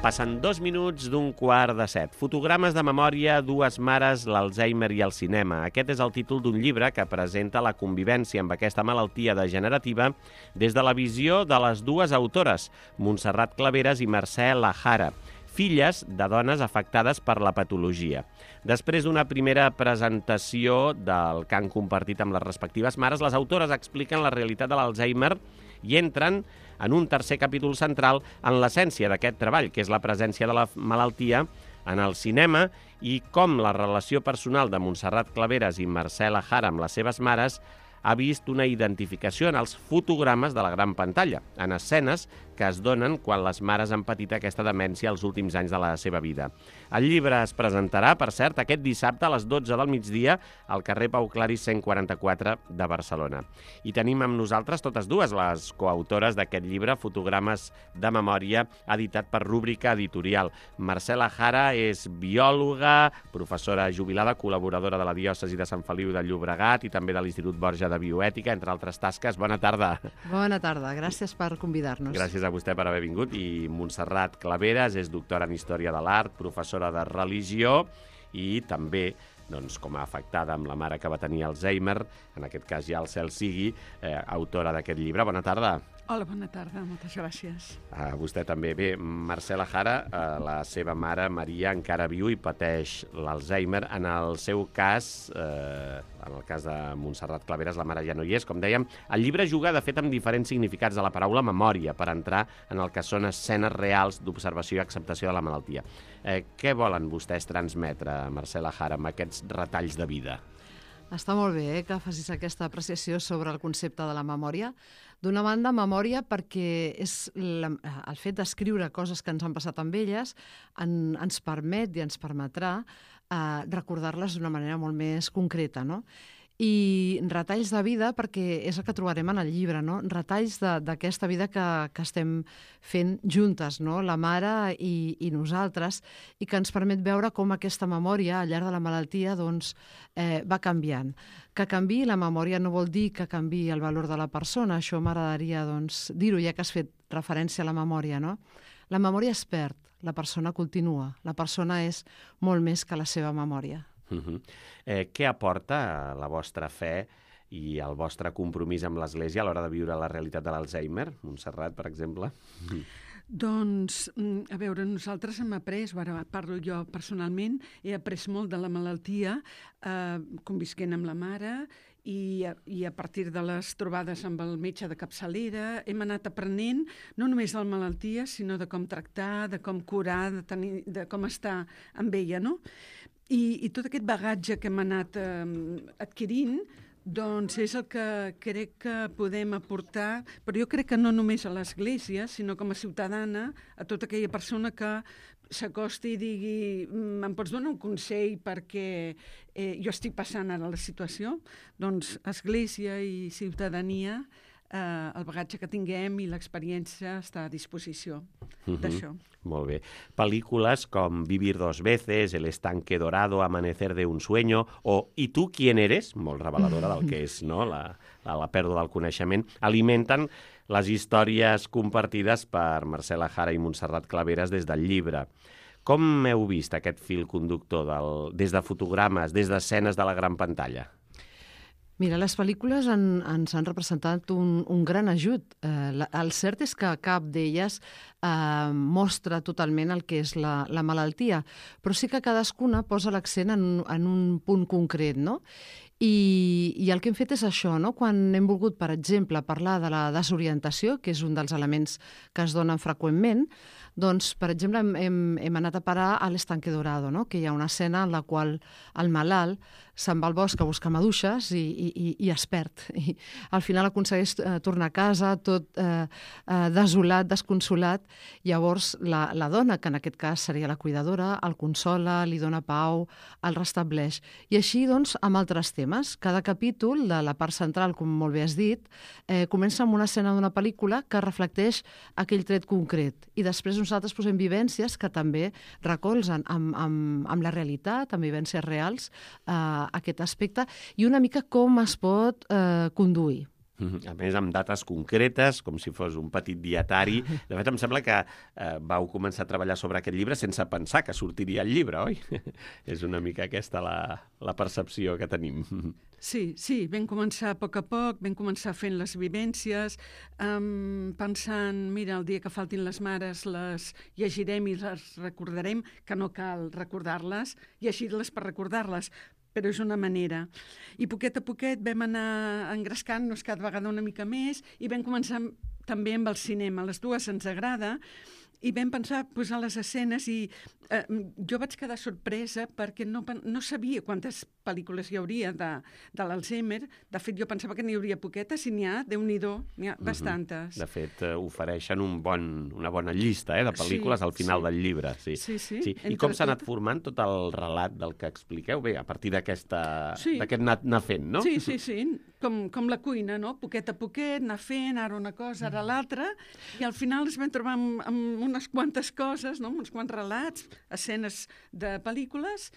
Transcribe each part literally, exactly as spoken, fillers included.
Passen dos minuts d'un quart de set. Fotogrames de memòria, dues mares, l'Alzheimer i el cinema. Aquest és el títol d'un llibre que presenta la convivència amb aquesta malaltia degenerativa des de la visió de les dues autores, Montserrat Claveras i Mercè Lajara, filles de dones afectades per la patologia. Després d'una primera presentació del que han compartit amb les respectives mares, les autores expliquen la realitat de l'Alzheimer i entren en un tercer capítol central en l'essència d'aquest treball, que és la presència de la malaltia en el cinema i com la relació personal de Montserrat Claveras i Mercè Lajara amb les seves mares ha vist una identificació en els fotogrames de la gran pantalla, en escenes que es donen quan les mares han patit aquesta demència els últims anys de la seva vida. El llibre es presentarà, per cert, aquest dissabte a les dotze del migdia al carrer Pau Claris cent quaranta-quatre de Barcelona. I tenim amb nosaltres totes dues les coautores d'aquest llibre, Fotogrames de memòria, editat per Rúbrica Editorial. Mercè Lajara és biòloga, professora jubilada, col·laboradora de la diòcesi de Sant Feliu de Llobregat i també de l'Institut Borja de Bioètica, entre altres tasques. Bona tarda. Bona tarda, gràcies per convidar-nos. Gràcies a vostè per haver vingut. I Montserrat Claveras és doctora en Història de l'Art, professora de religió i també, doncs, com a afectada amb la mare que va tenir Alzheimer, en aquest cas ja el cel sigui, eh, autora d'aquest llibre. Bona tarda. Hola, bona tarda, moltes gràcies. Uh, vostè també. Bé, Mercè Lajara, uh, la seva mare, Maria, encara viu i pateix l'Alzheimer. En el seu cas, uh, en el cas de Montserrat Claveras, la mare ja no hi és, com dèiem. El llibre juga, de fet, amb diferents significats de la paraula memòria per entrar en el que són escenes reals d'observació i acceptació de la malaltia. Eh, què volen vostès transmetre, Mercè Lajara, amb aquests retalls de vida? Està molt bé eh, que facis aquesta apreciació sobre el concepte de la memòria. D'una banda, memòria perquè és la, el fet d'escriure coses que ens han passat amb elles en, ens permet i ens permetrà eh, recordar-les d'una manera molt més concreta, no? I retalls de vida, perquè és el que trobarem en el llibre, no? Retalls d'aquesta vida que, que estem fent juntes, no? La mare i, i nosaltres, i que ens permet veure com aquesta memòria al llarg de la malaltia doncs, eh, va canviant. Que canvi la memòria no vol dir que canvi el valor de la persona, això m'agradaria doncs, dir-ho, ja que has fet referència a la memòria, no? La memòria es perd, la persona continua, la persona és molt més que la seva memòria. Uh-huh. eh, què aporta la vostra fe i el vostre compromís amb l'Església a l'hora de viure la realitat de l'Alzheimer? Montserrat, per exemple. Doncs, a veure, nosaltres hem après, ara parlo jo personalment, he après molt de la malaltia, eh, convisquent amb la mare, i a, i a partir de les trobades amb el metge de capçalera hem anat aprenent no només de la malaltia, sinó de com tractar, de com curar, de, tenir, de com estar amb ella, no? I, i tot aquest bagatge que hem anat eh, adquirint, doncs és el que crec que podem aportar, però jo crec que no només a l'Església, sinó com a ciutadana, a tota aquella persona que s'acosti i digui em pots donar un consell perquè eh, jo estic passant ara la situació? Doncs Església i ciutadania, eh, el bagatge que tinguem i l'experiència està a disposició uh-huh. d'això. Molt bé. Pel·lícules com Vivir dos veces, El estanque dorado, Amanecer de un sueño o ¿Y tú quién eres? Molt reveladora del que és, no? la, la, la pèrdua del coneixement, alimenten les històries compartides per Mercè Lajara i Montserrat Claveras des del llibre. Com heu vist aquest fil conductor del, des de fotogrames, des d'escenes de la gran pantalla? Mira, les pel·lícules en, ens han representat un, un gran ajut. Eh, la, el cert és que cap d'elles eh, mostra totalment el que és la, la malaltia, però sí que cadascuna posa l'accent en, en un punt concret, no? I, I el que hem fet és això, no? Quan hem volgut, per exemple, parlar de la desorientació, que és un dels elements que es donen freqüentment, doncs, per exemple, hem, hem, hem anat a parar a l'Estanque Dorado, no? Que hi ha una escena en la qual el malalt se'n va al bosc a buscar maduixes i, i, i es perd. I al final aconsegueix eh, tornar a casa tot eh, eh, desolat, desconsolat. Llavors la, la dona, que en aquest cas seria la cuidadora, el consola, li dona pau, el restableix. I així, doncs, amb altres temes. Cada capítol de la part central, com molt bé has dit, eh, comença amb una escena d'una pel·lícula que reflecteix aquell tret concret. I després nosaltres posem vivències que també recolzen amb, amb, amb la realitat, amb vivències reals, eh, aquest aspecte, i una mica com es pot eh, conduir. A més, amb dates concretes, com si fos un petit dietari. De fet, em sembla que eh, vau començar a treballar sobre aquest llibre sense pensar que sortiria el llibre, oi? És una mica aquesta la, la percepció que tenim. Sí, sí, vam començar a poc a poc, vam començar fent les vivències, um, pensant, mira, el dia que faltin les mares les llegirem i les recordarem, que no cal recordar-les, llegir-les per recordar-les, però és una manera. I poquet a poquet vam anar engrescant-nos cada vegada una mica més i vam començar també amb el cinema. A les dues ens agrada i vam pensar posar les escenes i eh, jo vaig quedar sorpresa perquè no, no sabia quantes pel·lícules hi hauria de, de l'Alzheimer. De fet, jo pensava que n'hi hauria poquetes i n'hi ha, Déu-n'hi-do, n'hi ha mm-hmm. bastantes. De fet, eh, ofereixen un bon, una bona llista eh, de pel·lícules sí, al final sí. del llibre. Sí, sí. sí. sí. I com s'ha anat formant tot el relat del que expliqueu? Bé, a partir d'aquest sí. anar, anar fent, no? Sí, sí, sí. Com, com la cuina, no? Poquet a poquet, anar fent, ara una cosa, ara l'altra, i al final es vam trobar amb, amb unes quantes coses, no? Uns quants relats, escenes de pel·lícules,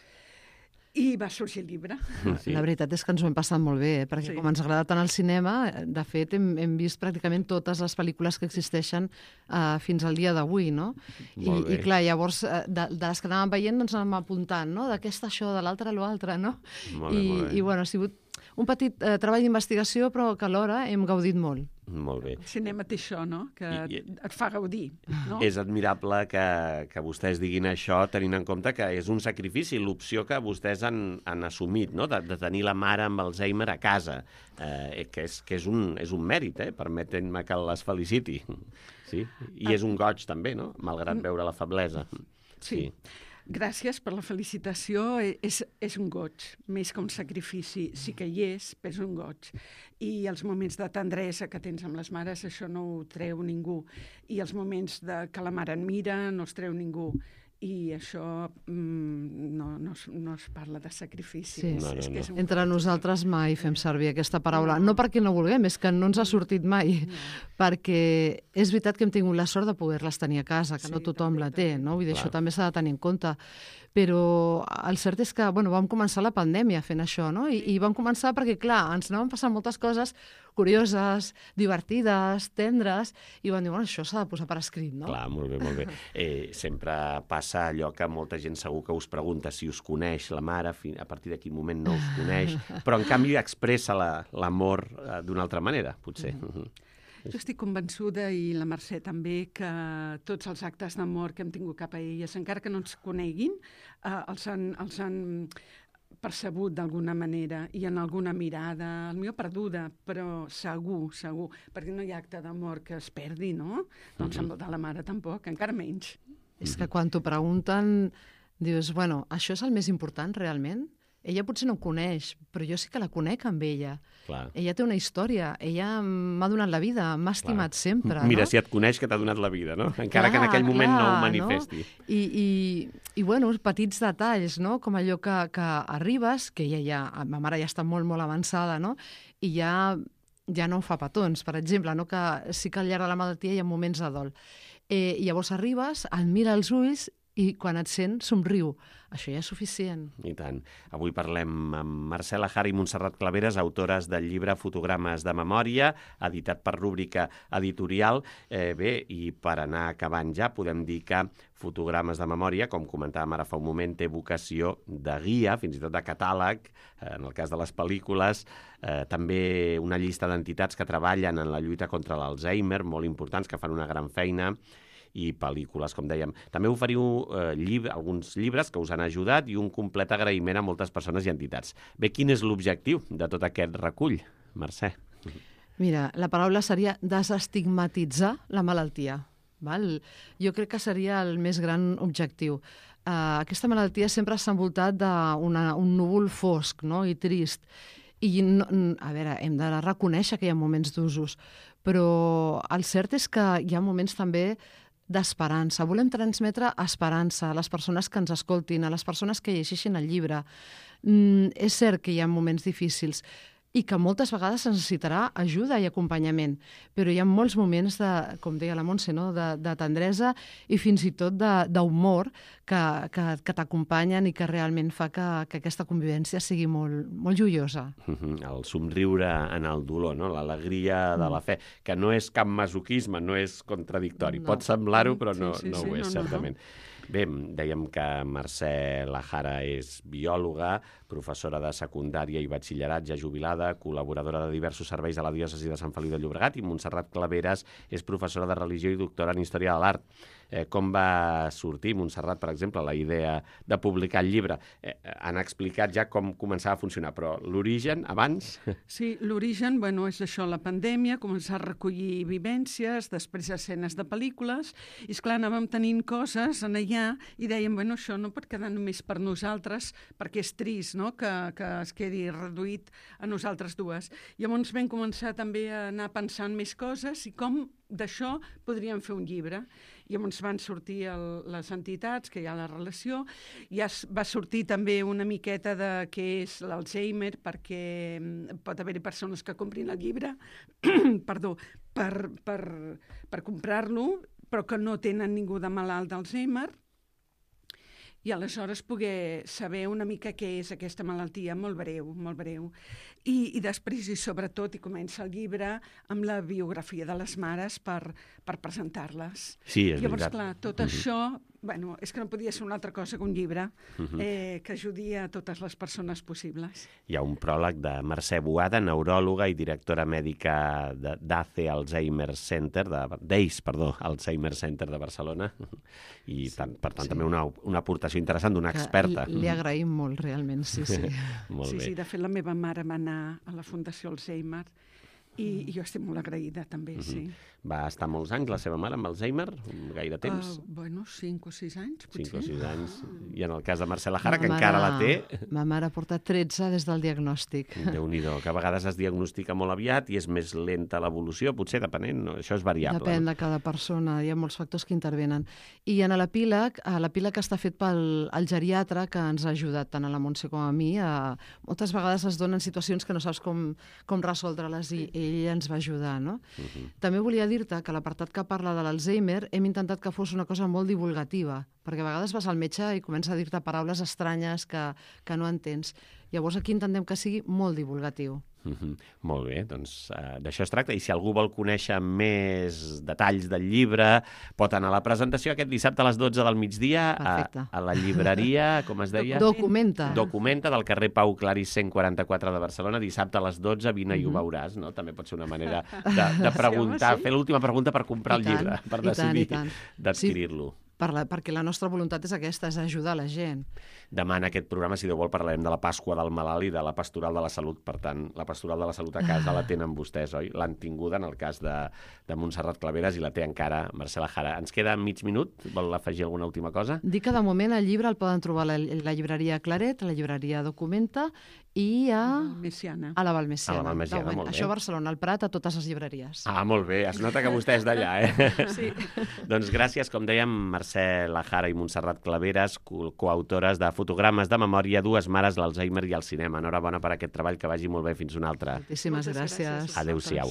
i va sorgir el llibre. Sí. La veritat és que ens ho hem passat molt bé, eh? Perquè sí. com ens agrada tant el cinema, de fet hem, hem vist pràcticament totes les pel·lícules que existeixen uh, fins al dia d'avui, no? I, I clar, llavors, uh, de, de les que anàvem veient ens anàvem apuntant, no? D'aquesta això, de l'altra l'altra, no? Molt bé, I, molt bé. I bueno, ha sigut un petit eh, treball d'investigació, però que alhora hem gaudit molt. Molt bé. El cinema té això, no? Que I, i... et fa gaudir, no? És admirable que, que vostès diguin això tenint en compte que és un sacrifici, l'opció que vostès han, han assumit, no? de, de tenir la mare amb Alzheimer a casa, eh, que, és, que és, un, és un mèrit, eh? Permetent-me que les feliciti. Sí? I és un goig també, no? Malgrat veure la feblesa. Sí. sí. Gràcies per la felicitació. És, és un goig, més que un sacrifici. Sí que hi és, però és un goig. I els moments de tendresa que tens amb les mares, això no ho treu ningú. I els moments de que la mare et mira, no els treu ningú. I això mm, no, no, es, no es parla de sacrifici. Sí. És, no, no, és que és un... Entre nosaltres mai fem servir aquesta paraula. No, no perquè no vulguem, és que no ens ha sortit mai. No. Perquè és veritat que hem tingut la sort de poder-les tenir a casa, que sí, no tothom també, la té, no? Vull dir, això també s'ha de tenir en compte. Però el cert és que bueno, vam començar la pandèmia fent això, no? I, i vam començar perquè, clar, ens anaven passant moltes coses curioses, divertides, tendres, i vam dir, bueno, això s'ha de posar per escrit, no? Clar, molt bé, molt bé. Eh, sempre passa allò que molta gent segur que us pregunta si us coneix la mare, a partir de quin moment no us coneix, però en canvi expressa l'amor la, eh, d'una altra manera, potser. Mm-hmm. Jo estic convençuda, i la Mercè també, que tots els actes d'amor que hem tingut cap a elles, encara que no ens coneguin, eh, els han, els han percebut d'alguna manera i en alguna mirada, el millor perduda, però segur, segur, perquè no hi ha acte d'amor que es perdi, no? Doncs amb el de la mare tampoc, encara menys. És que quan t'ho pregunten, dius, bueno, això és el més important realment? Ella potser no em coneix, però jo sí que la conec amb ella. Clar. Ella té una història, ella m'ha donat la vida, m'ha estimat clar. Sempre. Mira, no? Si et coneix que t'ha donat la vida, no? Encara clar, que en aquell moment clar, no ho manifesti. No? I, i, I, bueno, petits detalls, no? Com allò que, que arribes, que ella ja, ma mare ja està molt, molt avançada, no? I ja, ja no em fa petons, per exemple, no? Que sí que al llarg de la malaltia hi ha moments de dol. Eh, i llavors arribes, el mira als ulls i quan et sent somriu. Això ja és suficient. I tant. Avui parlem amb Marcela Jara i Montserrat Claveres, autores del llibre Fotogrames de memòria, editat per Rúbrica Editorial. Eh, bé, i per anar acabant ja, podem dir que Fotogrames de memòria, com comentàvem ara fa un moment, té vocació de guia, fins i tot de catàleg, eh, en el cas de les pel·lícules, eh, també una llista d'entitats que treballen en la lluita contra l'Alzheimer, molt importants, que fan una gran feina, i pel·lícules, com dèiem. També oferiu eh, llib alguns llibres que us han ajudat i un complet agraïment a moltes persones i entitats. Bé, quin és l'objectiu de tot aquest recull, Mercè? Mira, la paraula seria desestigmatitzar la malaltia. Val? Jo crec que seria el més gran objectiu. Uh, aquesta malaltia sempre s'ha envoltat d'un núvol fosc, no? I trist. I, no, a veure, hem de reconèixer que hi ha moments d'usos, però el cert és que hi ha moments també d'esperança. Volem transmetre esperança a les persones que ens escoltin, a les persones que llegeixin el llibre. Mm, és cert que hi ha moments difícils, i que moltes vegades necessitarà ajuda i acompanyament. Però hi ha molts moments, de, com deia la Montse, no? de, de tendresa i fins i tot d'humor que, que, que t'acompanyen i que realment fa que, que aquesta convivència sigui molt, molt joiosa. El somriure en el dolor, no? L'alegria de la fe, que no és cap masoquisme, no és contradictori. No. Pot semblar-ho, però no, sí, sí, no ho és, sí, no, certament. No, no. Bé, dèiem que Mercè Lajara és biòloga, professora de secundària i batxillerat, ja jubilada, col·laboradora de diversos serveis a la diòcesi de Sant Feliu de Llobregat, i Montserrat Claveres és professora de religió i doctora en història de l'art. Eh, com va sortir, Montserrat, per exemple, la idea de publicar el llibre? Eh, han explicat ja com començava a funcionar, però l'origen, abans... Sí, l'origen, bueno, és això, la pandèmia, començar a recollir vivències, després escenes de pel·lícules, i esclar, anàvem tenint coses en allà i dèiem, bueno, això no pot quedar només per nosaltres, perquè és trist, no?, que, que es quedi reduït a nosaltres dues. Llavors vam començar també a anar pensant més coses i com d'això podríem fer un llibre. Llavors van sortir el, les entitats, que hi ha la relació, ja va sortir també una miqueta de què és l'Alzheimer, perquè pot haver-hi persones que comprin el llibre perdó, per, per, per comprar-lo, però que no tenen ningú de malalt d'Alzheimer, i aleshores poder saber una mica què és aquesta malaltia, molt breu, molt breu. I, i després, i sobretot, i comença el llibre amb la biografia de les mares per, per presentar-les. Sí, és Llavors, veritat. clar, tot uh-huh. això, bueno, és que no podia ser una altra cosa que un llibre uh-huh. eh, que ajudi a totes les persones possibles. Hi ha un pròleg de Mercè Boada, neuròloga i directora mèdica d'A C E Alzheimer Center, d'A C E, perdó, Alzheimer Center de Barcelona, i sí, tant, per tant sí. també una, una aportació interessant d'una experta. Li, li agraïm molt, realment, sí, sí. Molt sí, bé. sí, de fet, la meva mare va anar a la Fundació Alzheimer i, i jo estic molt agraïda, també, uh-huh. sí. Va estar molts anys la seva mare amb Alzheimer? Gaire temps? Uh, bueno, cinc o sis anys, potser. Cinc o sis anys. I en el cas de Mercè Lajara, que encara la té... Ma mare ha portat tretze des del diagnòstic. Déu-n'hi-do, que a vegades es diagnostica molt aviat i és més lenta l'evolució, potser depenent, no? Això és variable. Depèn no? de cada persona, hi ha molts factors que intervenen. I en l'epíleg, l'epíleg està fet pel el geriatre, que ens ha ajudat tant a la Montse com a mi. A, moltes vegades es donen situacions que no saps com, com resoldre-les i ell ens va ajudar, no? Uh-huh. També volia dir-te que l'apartat que parla de l'Alzheimer hem intentat que fos una cosa molt divulgativa, perquè a vegades vas al metge i comença a dir-te paraules estranyes que, que no entens. Llavors aquí intentem que sigui molt divulgatiu. Mm-hmm. Molt bé, doncs uh, d'això es tracta. I si algú vol conèixer més detalls del llibre, pot anar a la presentació aquest dissabte a les dotze del migdia a, a la llibreria, com es deia? Documenta. Documenta, del carrer Pau Claris cent quaranta-quatre de Barcelona, dissabte a les dotze, vine mm-hmm. i ho veuràs, no? També pot ser una manera de, de preguntar, sí, home, sí. fer l'última pregunta per comprar I el tant, llibre, per decidir d'adquirir-lo. Sí. Per la, perquè la nostra voluntat és aquesta, és ajudar la gent. Demà en aquest programa, si Déu vol, parlarem de la Pasqua del Malalt i de la Pastoral de la Salut. Per tant, la Pastoral de la Salut a casa la tenen vostès, oi? L'han tinguda en el cas de, de Montserrat Claveres i la té encara Mercè Lajara. Ens queda mig minut. Vol afegir alguna última cosa? Dic que de moment el llibre el poden trobar a la, la llibreria Claret, a la llibreria Documenta i a... Messiana. A la Valmesiana. A la Valmesiana, molt bé. Això a Barcelona, al Prat, a totes les llibreries. Ah, molt bé. Es nota que vostè és d'allà, eh? Sí. Doncs gràcies, com dèiem, Mercè Lajara i Montserrat Claveres, co coautores de Fotogrames de memòria, dues mares, l'Alzheimer i el cinema. Enhorabona per aquest treball, que vagi molt bé. Fins una altra. Moltíssimes gràcies. gràcies. Adéu-siau.